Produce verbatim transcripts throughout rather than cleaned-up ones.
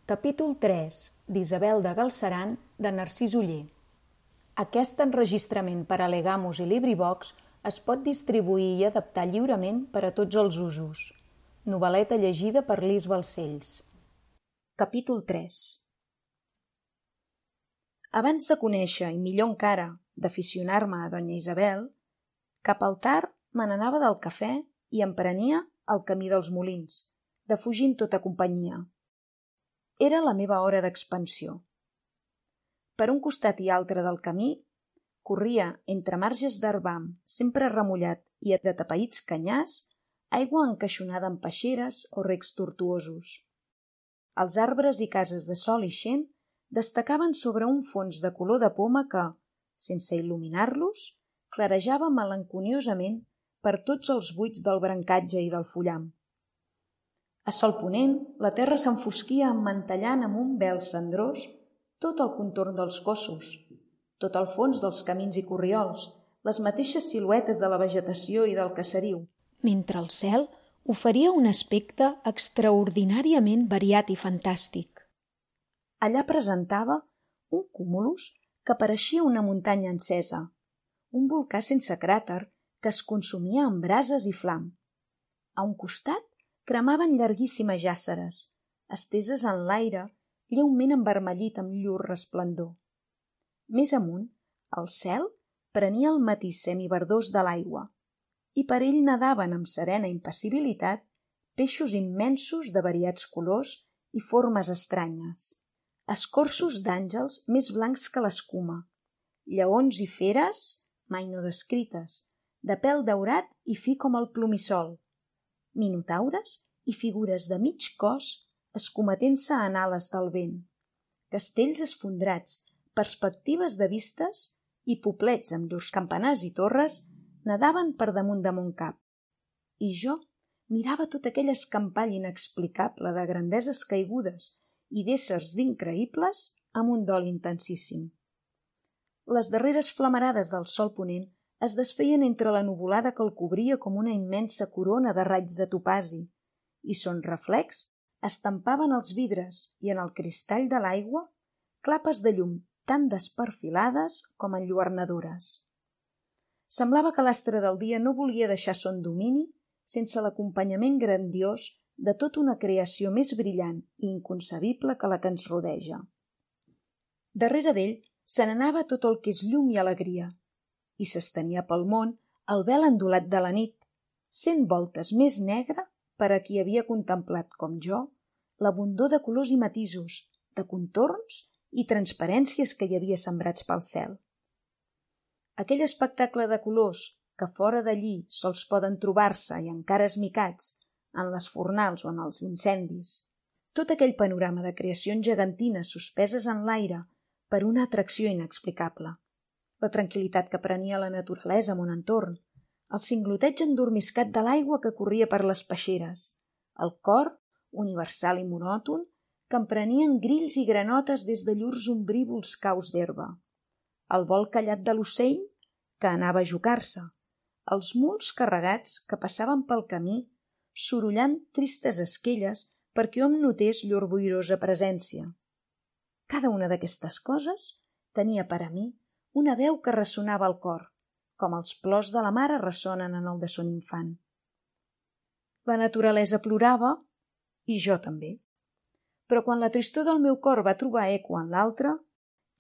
Capítol tres d'Isabel de Galceran de Narcís Oller. Aquest enregistrament per a Legamus i LibriVox es pot distribuir i adaptar lliurement per a tots els usos. Novel·leta llegida per Lis Balcells. Capítol tres. Abans de conèixer, i millor encara, d'aficionar-me a donya Isabel, cap al tard me n'anava del cafè i em prenia el camí dels molins, defugint tota companyia. Era la meva hora d'expansió. Per un costat i altre del camí corria, entre marges d'herbam sempre remullat i de tapaïts canyars, aigua encaixonada en peixeres o recs tortuosos. Els arbres i cases de sol ixent destacaven sobre un fons de color de poma que, sense il·luminar-los, clarejava melanconiosament per tots els buits del brancatge i del fullam. A sol ponent, la terra s'enfosquia emmantellant amb un vel cendrós tot el contorn dels cossos, tot el fons dels camins i corriols, les mateixes siluetes de la vegetació i del caseriu, mentre el cel oferia un aspecte extraordinàriament variat i fantàstic. Allà presentava un cúmulus que pareixia una muntanya encesa, un volcà sense cràter que es consumia en brases i flam. A un costat cremaven llarguíssimes jàsseres, esteses en l'aire, lleument envermellit amb llur resplendor. Més amunt, el cel prenia el matís semiverdós de l'aigua, i per ell nadaven amb serena impassibilitat peixos immensos de variats colors i formes estranyes, escorços d'àngels més blancs que l'escuma, lleons i feres mai no descrites, de pèl daurat i fi com el plomissol, minotaures i figures de mig cos escometent-se en ales del vent, castells esfondrats, perspectives de vistes i poblets amb llurs campanars i torres nadaven per damunt de mon cap. I jo mirava tot aquell escampall inexplicable de grandeses caigudes i d'éssers d'increïbles amb un dol intensíssim. Les darreres flamarades del sol ponent es desfeien entre la nuvolada que el cobria com una immensa corona de raigs de topazi, i son reflex estampaven els vidres i en el cristall de l'aigua clapes de llum tan desperfilades com enlluernadores. Semblava que l'astre del dia no volia deixar son domini sense l'acompanyament grandiós de tota una creació més brillant i inconcebible que la que ens rodeja. Darrere d'ell se n'anava tot el que és llum i alegria, i s'estenia pel món el vel endolat de la nit, cent voltes més negre per a qui havia contemplat, com jo, l'abundor de colors i matisos, de contorns i transparències que hi havia sembrats pel cel. Aquell espectacle de colors que fora d'allí sols poden trobar-se i encara esmicats en les fornals o en els incendis, tot aquell panorama de creacions gegantines suspeses en l'aire per una atracció inexplicable, la tranquil·litat que prenia la naturalesa a mon entorn, el cingloteig endormiscat de l'aigua que corria per les peixeres, el cor, universal i monòton, que emprenien grills i granotes des de llurs ombrívols caus d'herba, el vol callat de l'ocell que anava a jocar-se, els muls carregats que passaven pel camí sorollant tristes esquelles perquè hom notés llur boirosa presència. Cada una d'aquestes coses tenia per a mi una veu que ressonava al cor, com els plors de la mare ressonen en el de son infant. La naturalesa plorava, i jo també. Però quan la tristor del meu cor va trobar eco en l'altre,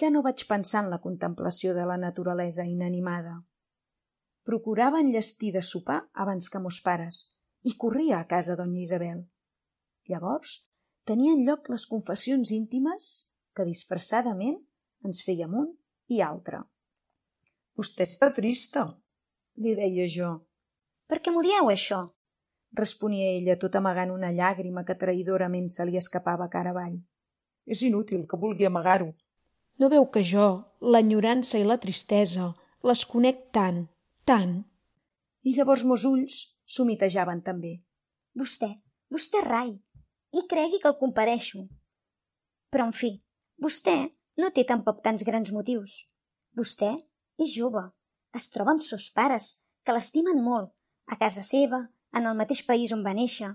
ja no vaig pensar en la contemplació de la naturalesa inanimada. Procurava enllestir de sopar abans que mos pares, i corria a casa donya Isabel. Llavors tenien lloc les confessions íntimes que disfressadament ens fèiem un i altre. «Vostè està trista», li deia jo. «Per què m'ho dieu, això?», responia ella, tot amagant una llàgrima que traïdorament se li escapava cara avall. «És inútil que vulgui amagar-ho. No veu que jo, l'enyorança i la tristesa, les conec tant, tant?» I llavors mos ulls s'humitejaven també. «Vostè, vostè rai, i cregui que el compadeixo. Però, en fi, vostè no té tampoc tants grans motius. Vostè és jove, es troba amb sos pares, que l'estimen molt, a casa seva, en el mateix país on va néixer.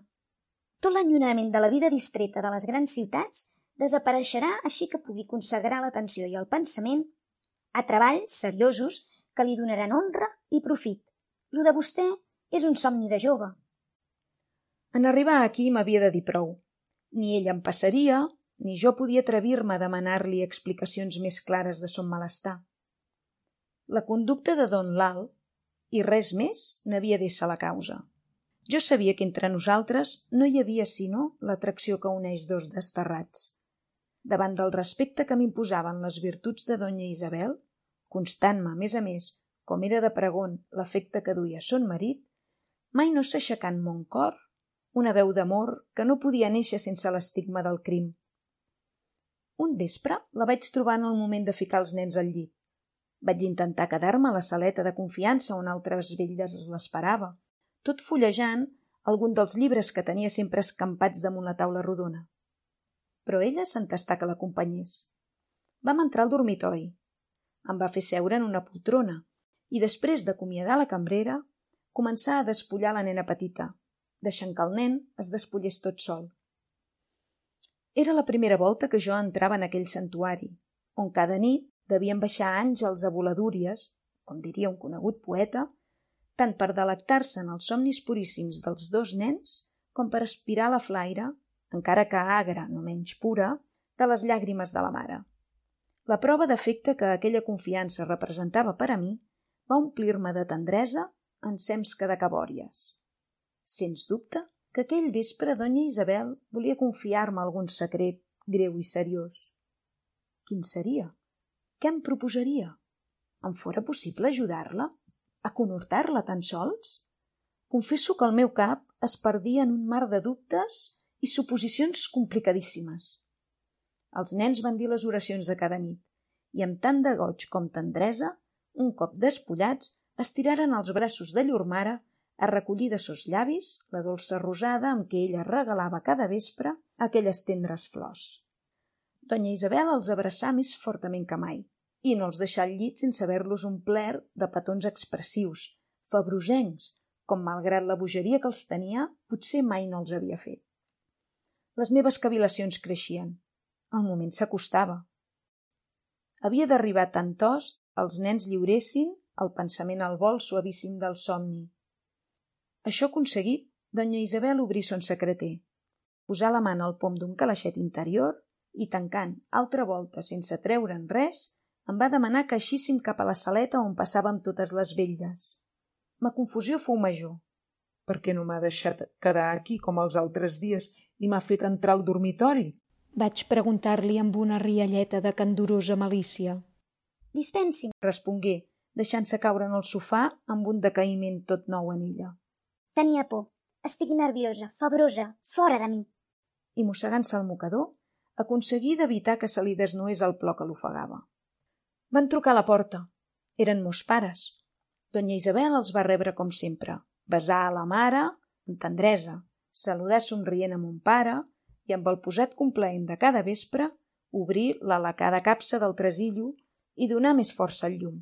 Tot l'enyorament de la vida distreta de les grans ciutats desapareixerà així que pugui consagrar l'atenció i el pensament a treballs seriosos que li donaran honra i profit. Lo de vostè és un somni de jove. En arribar aquí m'havia de dir prou. Ni ell em passaria, ni jo podia atrevir-me a demanar-li explicacions més clares de son malestar. La conducta de don Lal, i res més, n'havia d'ésser la causa. Jo sabia que entre nosaltres no hi havia sinó l'atracció que uneix dos desterrats. Davant del respecte que m'imposaven les virtuts de donya Isabel, constant-me, a més a més, com era de pregon l'afecte que duia son marit, mai no s'aixecà en mon cor una veu d'amor que no podia néixer sense l'estigma del crim. Un vespre la vaig trobar en el moment de ficar els nens al llit. Vaig intentar quedar-me a la saleta de confiança on altres velles l'esperava, tot fullejant algun dels llibres que tenia sempre escampats damunt la taula rodona. Però ella s'entestà que l'acompanyés. Vam entrar al dormitori. Em va fer seure en una poltrona i després d'acomiadar la cambrera començà a despullar la nena petita, deixant que el nen es despullés tot sol. Era la primera volta que jo entrava en aquell santuari, on cada nit devien baixar àngels a voladúries, com diria un conegut poeta, tant per delectar-se en els somnis puríssims dels dos nens com per aspirar la flaire, encara que agra, no menys pura, de les llàgrimes de la mare. La prova d'afecte que aquella confiança representava per a mi va omplir-me de tendresa ensems que de cabòries. Sens dubte que aquell vespre donya Isabel volia confiar-me algun secret greu i seriós. Quin seria? Què em proposaria? Em fora possible ajudar-la? A conhortar-la tan sols? Confesso que el meu cap es perdia en un mar de dubtes i suposicions complicadíssimes. Els nens van dir les oracions de cada nit i amb tant de goig com tendresa, un cop despullats, estiraren els braços de llur mare a recollir de sos llavis la dolça rosada amb què ella regalava cada vespre aquelles tendres flors. Donya Isabel els abraçà més fortament que mai i no els deixà al llit sense haver-los omplert de petons expressius, febrosencs, com malgrat la bogeria que els tenia, potser mai no els havia fet. Les meves cavilacions creixien. El moment s'acostava. Havia d'arribar tant tost els nens lliuressin el pensament al vol suavíssim del somni. Això aconseguit, donya Isabel obrí son secreter, posà la mà al pom d'un calaixet interior i, tancant altra volta sense treure'n res, em va demanar que eixíssim cap a la saleta on passàvem totes les vetlles. Ma confusió fou major. Per què no m'ha deixat quedar aquí com els altres dies i m'ha fet entrar al dormitori? Vaig preguntar-li amb una rialleta de candorosa malícia. Dispensi, respongué, deixant-se caure en el sofà amb un decaïment tot nou en ella. Tenia por. Estic nerviosa, febrosa, fora de mi. I mossegant-se el mocador, aconseguí d'evitar que se li desnués el plor que l'ofegava. Van trucar a la porta. Eren mos pares. Donya Isabel els va rebre com sempre, besar a la mare amb tendresa, saludar somrient a mon pare i amb el posat complaent de cada vespre obrir la lacada capsa del tresillo i donar més força al llum.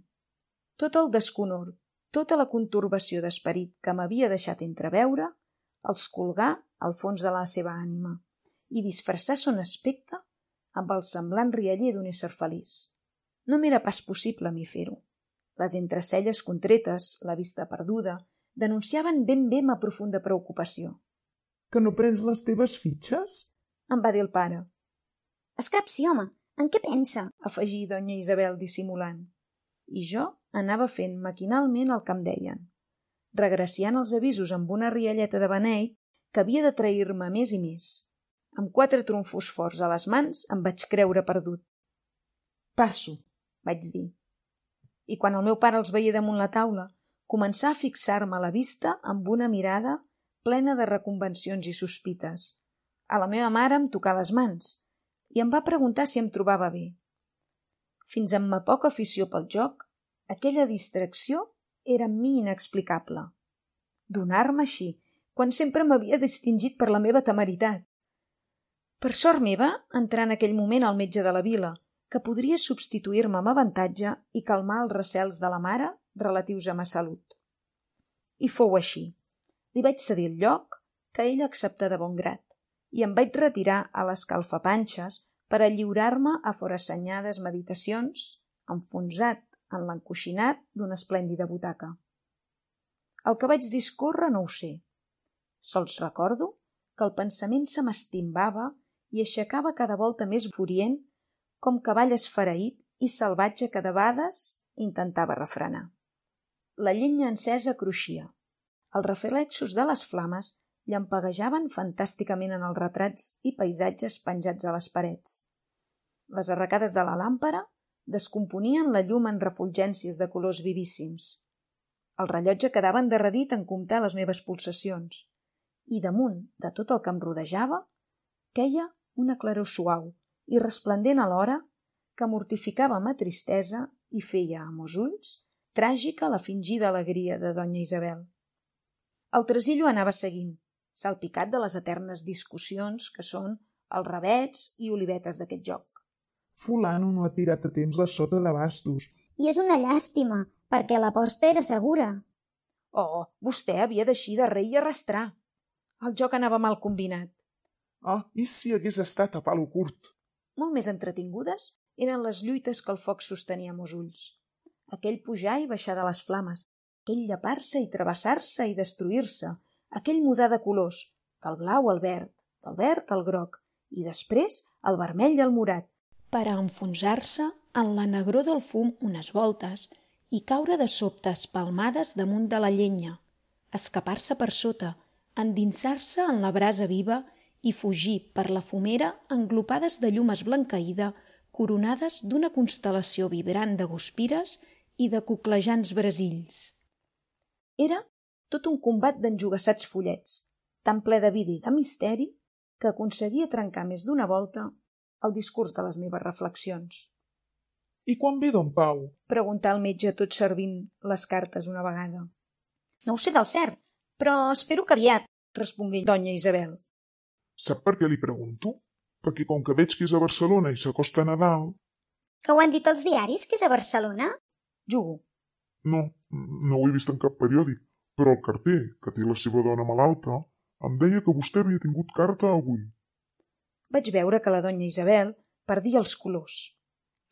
Tot el desconhort, tota la conturbació d'esperit que m'havia deixat entreveure, els colgà al fons de la seva ànima i disfressar son aspecte amb el semblant rialler d'un ésser feliç. No m'era pas possible a mi fer-ho. Les entrecelles contretes, la vista perduda, denunciaven ben bé ma profunda preocupació. Que no prens les teves fitxes? Em va dir el pare. Escapsi, home, en què pensa? Afegí donya Isabel dissimulant. I jo anava fent maquinalment el que em deien, regraciant els avisos amb una rialleta de beneit que havia de trair-me més i més. Amb quatre trumfos forts a les mans em vaig creure perdut. Passo, vaig dir. I quan el meu pare els veia damunt la taula, començà a fixar-me la vista amb una mirada plena de reconvencions i sospites. A la meva mare em tocà les mans i em va preguntar si em trobava bé. Fins amb ma poca afició pel joc, aquella distracció era en mi inexplicable. Donar-me així, quan sempre m'havia distingit per la meva temeritat. Per sort meva, entrà en aquell moment el metge de la vila, que podria substituir-me amb avantatge i calmar els recels de la mare relatius a ma salut. I fou així. Li vaig cedir el lloc, que ell acceptà de bon grat, i em vaig retirar a l'escalfapanxes per a lliurar-me a forassenyades meditacions, enfonsat en l'encoixinat d'una esplèndida butaca. El que vaig discórrer no ho sé. Sols recordo que el pensament se m'estimbava i aixecava cada volta més furient, com cavall esfereït i salvatge que de vegades intentava refrenar. La llenya encesa cruixia. Els reflexos de les flames llampeguejaven fantàsticament en els retrats i paisatges penjats a les parets. Les arracades de la làmpara descomponien la llum en refulgències de colors vivíssims. El rellotge quedava endarrerit en comptar les meves pulsacions, i damunt de tot el que em rodejava queia una claror suau i resplendent alhora que mortificava ma tristesa i feia, amb els ulls, tràgica la fingida alegria de donya Isabel. El tresillo anava seguint, salpicat de les eternes discussions que són els ravets i olivetes d'aquest joc. Fulano no ha tirat a temps la sota de bastos. I és una llàstima, perquè l'aposta era segura. Oh, vostè havia d'eixir de rei i arrastrar. El joc anava mal combinat. Ah, i si hagués estat a palo curt? Molt més entretingudes eren les lluites que el foc sostenia amb els ulls. Aquell pujar i baixar de les flames, aquell llepar-se i travessar-se i destruir-se, aquell mudar de colors, del blau al verd, del verd al groc, i després el vermell i el morat, per a enfonsar-se en la negror del fum unes voltes i caure de sobte espalmades damunt de la llenya, escapar-se per sota, endinsar-se en la brasa viva i fugir per la fumera englopades de llum esblanqueïda coronades d'una constel·lació vibrant de guspires i de cuclejants brasills. Era tot un combat d'enjogassats follets, tan ple de vida i de misteri que aconseguia trencar més d'una volta el discurs de les meves reflexions. I quan ve don Pau? Preguntà el metge tot servint les cartes una vegada. No ho sé del cert, però espero que aviat, respongué donya Isabel. Sap per què li pregunto? Perquè com que veig que és a Barcelona i s'acosta a Nadal... Que ho han dit els diaris, que és a Barcelona? Jugo. No, no ho he vist en cap periòdic, però el carter, que té la seva dona malalta, em deia que vostè havia tingut carta avui. Vaig veure que la donya Isabel perdia els colors.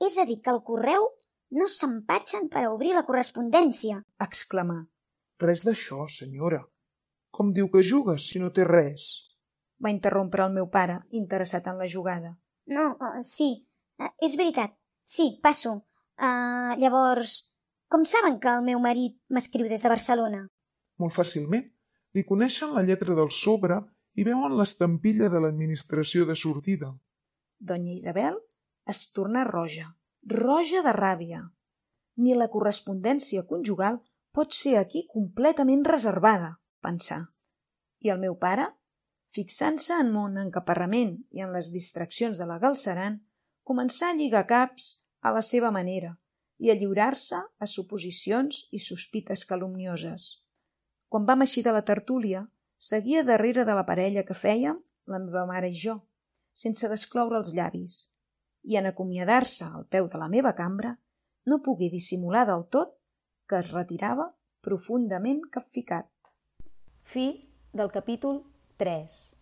És a dir, que el correu no s'empatxen per a obrir la correspondència, exclamà. Res d'això, senyora. Com diu que juga, si no té res? Va interrompre el meu pare, interessat en la jugada. No, uh, sí, uh, és veritat. Sí, passo. Uh, llavors, com saben que el meu marit m'escriu des de Barcelona? Molt fàcilment. Li coneixen la lletra del sobre i veuen l'estampilla de l'administració de sortida. Donya Isabel es tornà roja, roja de ràbia. Ni la correspondència conjugal pot ser aquí completament reservada, pensà. I el meu pare, fixant-se en mon encaparrament i en les distraccions de la Galceran, començà a lligar caps a la seva manera i a lliurar-se a suposicions i sospites calumnioses. Quan vam eixir de la tertúlia, seguia darrere de la parella que fèiem, la meva mare i jo, sense descloure els llavis, i en acomiadar-se al peu de la meva cambra no pogué dissimular del tot que es retirava profundament capficat. Fi del capítol tres.